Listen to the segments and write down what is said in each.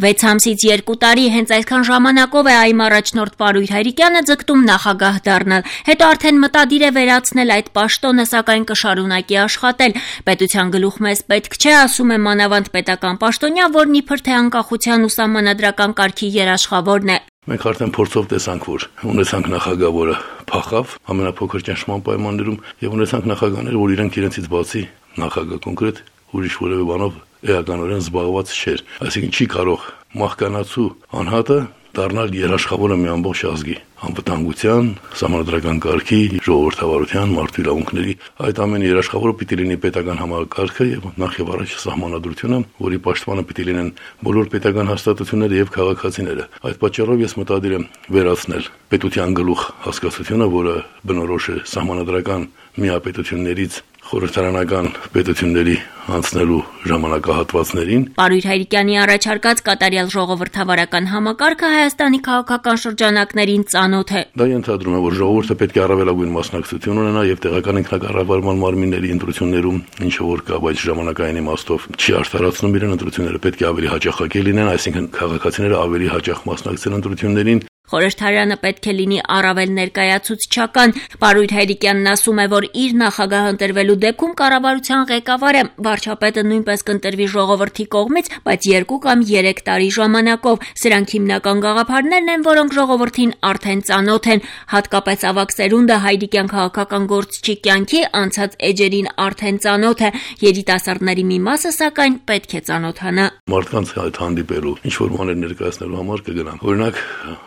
6 ամսից 2 տարի հենց այսքան ժամանակով է այմ առաջնորդ Պարույր Հայրիկյանը ձգտում նախագահ դառնալ, հետո արդեն մտադիր է վերացնել այդ պաշտոնը, սակայն կշարունակի աշխատել։ Պետության գլուխմեզ պետք չէ, ասում է մանավանդ պետական պաշտոնյա, որն իբր թե անկախության ու սահմանադրական կարգի երաշխավորն է։ Մենք արդեն փորձով տեսանք, որ ունեցանք նախագահ, որը փախավ ամենափոքր ճնշման պայմաններում, եւ ունեցանք նախագահներ, որ իրենցից բացի նախագահ կոնկրետ ուրիշ որևէ բանով էականորեն զբաղված չէր, այսինքն չի կարող մահկանացու անհատը դառնալ երաշխավորը մի ամբողջ ազգի անվտանգության, սահմանադրական կարգի, ժողովրդավարության, մարդու իրավունքների, այդ ամենի երաշխավորը պիտի լինի պետական համակարգը եւ նախ եւ առաջ սահմանադրությունը, որի պաշտպանը պիտի լինեն բոլոր պետական հաստատությունները եւ քաղաքացիները։ Այդ պատճառով ես մտադիր եմ վերացնել պետության գլուխ հասկացությունը, որը բնորոշ է սահմանադրական միապետություններից խորհրդարանական պետությունների անցնելու ժամանակահատվածներին։ Պարույր Հայրիկյանի առաջարկած կատարյալ ժողովրդավարական համակարգը Հայաստանի քաղաքական շրջանակներին ծանոթ է։ Դա ենթադրում է, որ ժողովուրդը պետք է առավելագույն մասնակցություն ունենա եւ տեղական ինքնակառավարման մարմինների ընտրություններում ինչը որ կա, բայց ժամանակային իմաստով չի արդարացնում իրեն, ընտրությունները պետք է ավելի հաճախակի լինեն, այսինքն քաղաքացիները ավելի հաճախ մասնակցեն ընտրություններին։ Խորհրդարանը պետք է լինի առավել ներկայացուցչական։ Պարույր Հայրիկյանն ասում է, որ իր նախագահ ընտրվելու դեպքում կառավարության ղեկավարը վարչապետը նույնպես կընտրվի ժողովրդի կողմից, բայց 2 կամ 3 տարի ժամանակով։ Սրանք հիմնական գաղափարներն են, որոնք ժողովրդին արդեն ծանոթ են, հատկապես ավագ սերունդը Հայրիկյան քաղաքական գործչի կյանքի անցած էջերին արդեն ծանոթ է։ Երիտասարդների մի մասը սակայն պետք է ծանոթանա։ Մարդկանց հետ հանդիպելու, ինչ որ բաներ ներկայացնելու համար կգնամ։ Օրինակ,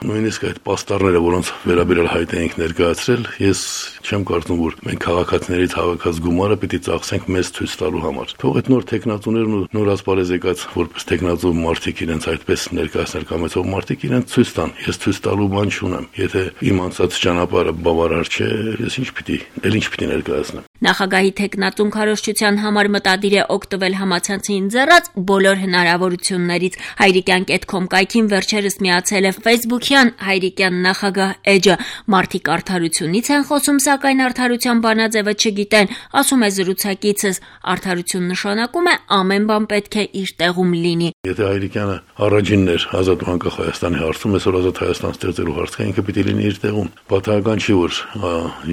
նույնիսկ այդ պաստառները, որոնց վերաբերյալ հայտ էինք ներկայացրել, ես չեմ կարծում, որ մենք քաղաքացիներից հավաքած գումարը պիտի ծախսենք մեզ ցույց տալու համար։ Թող այդ նոր տեխնատուներն ու նոր ասպարեզ եկած որպես տեխնատու մարդիկ իրենց այդպես ներկայացնել կամ այսով մարդիկ իրենց ցույց տան։ Ես ցույց տալու բան չունեմ։ Եթե իմ անցած ճանապարհը բավարար չէ, ես ինչ պիտի ներկայացնեմ։ Նախագահի տեխնատուն քարոզչության համար մտադիր է օգտվել համացանցին ձեռած բոլոր հնարավորություններից։ Հայրիկյան.com կայքին վերջերս միացել է Facebook-յան Հայրիկյան նախագահ էջը։ Մարդիկ արդարությունից են խոսում, սակայն արդարության բանաձևը չգիտեն, ասում է զրուցակիցս։ Արդարություն նշանակում է ամեն բան պետք է իր տեղում լինի։ Եթե Հայրիկյանը առաջինն էր ազատ ու անկախ Հայաստանի հարցում, այսօր ազատ Հայաստան ստեղծելու հարցը ինքը պիտի լինի իր տեղում։ Պատահական չի, որ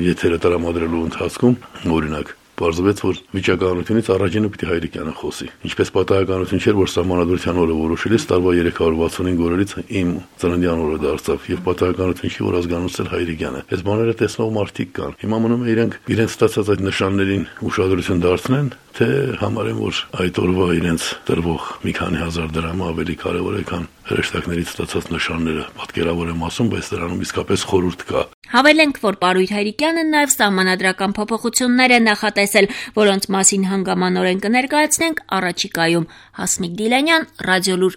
եթերը տրամադրելու ընթացքում, օրինակ, պարզվեց, որ վիճակահանությունից առաջինը պիտի Հայրիկյանը խոսի։ Ինչպես պատահականություն չէր, որ սահմանադրության օրը որոշելիս տարվա 365 օրերից իմ ծննդյան օրը դարձավ եւ պատահականություն չի, որ ազգանունցել Հայրիկյանը։ Այս բաները տեսնող մարդիկ կան։ Հիմա մնում է իրենց ստացած այդ նշաններին ուշադրություն դարձնեն, թե համարեն, որ այդ օրվա իրենց տրվող մի քանի հազար դրամը ավելի կարևոր է, քան հրեշտակներից ստացած նշանները։ Պատկերավոր եմ ասում, բայց դրանում իսկապես խորհուրդ կա։ Հավելենք, որ Պարույր Հայրիկյանը նաև սահմանադրական փոփոխություններ է նախատեսել, որոնց մասին հանգամանորեն կներկայացնենք առաջիկայում։ Հասմիկ Դիլանյան, Ռադիոլուր։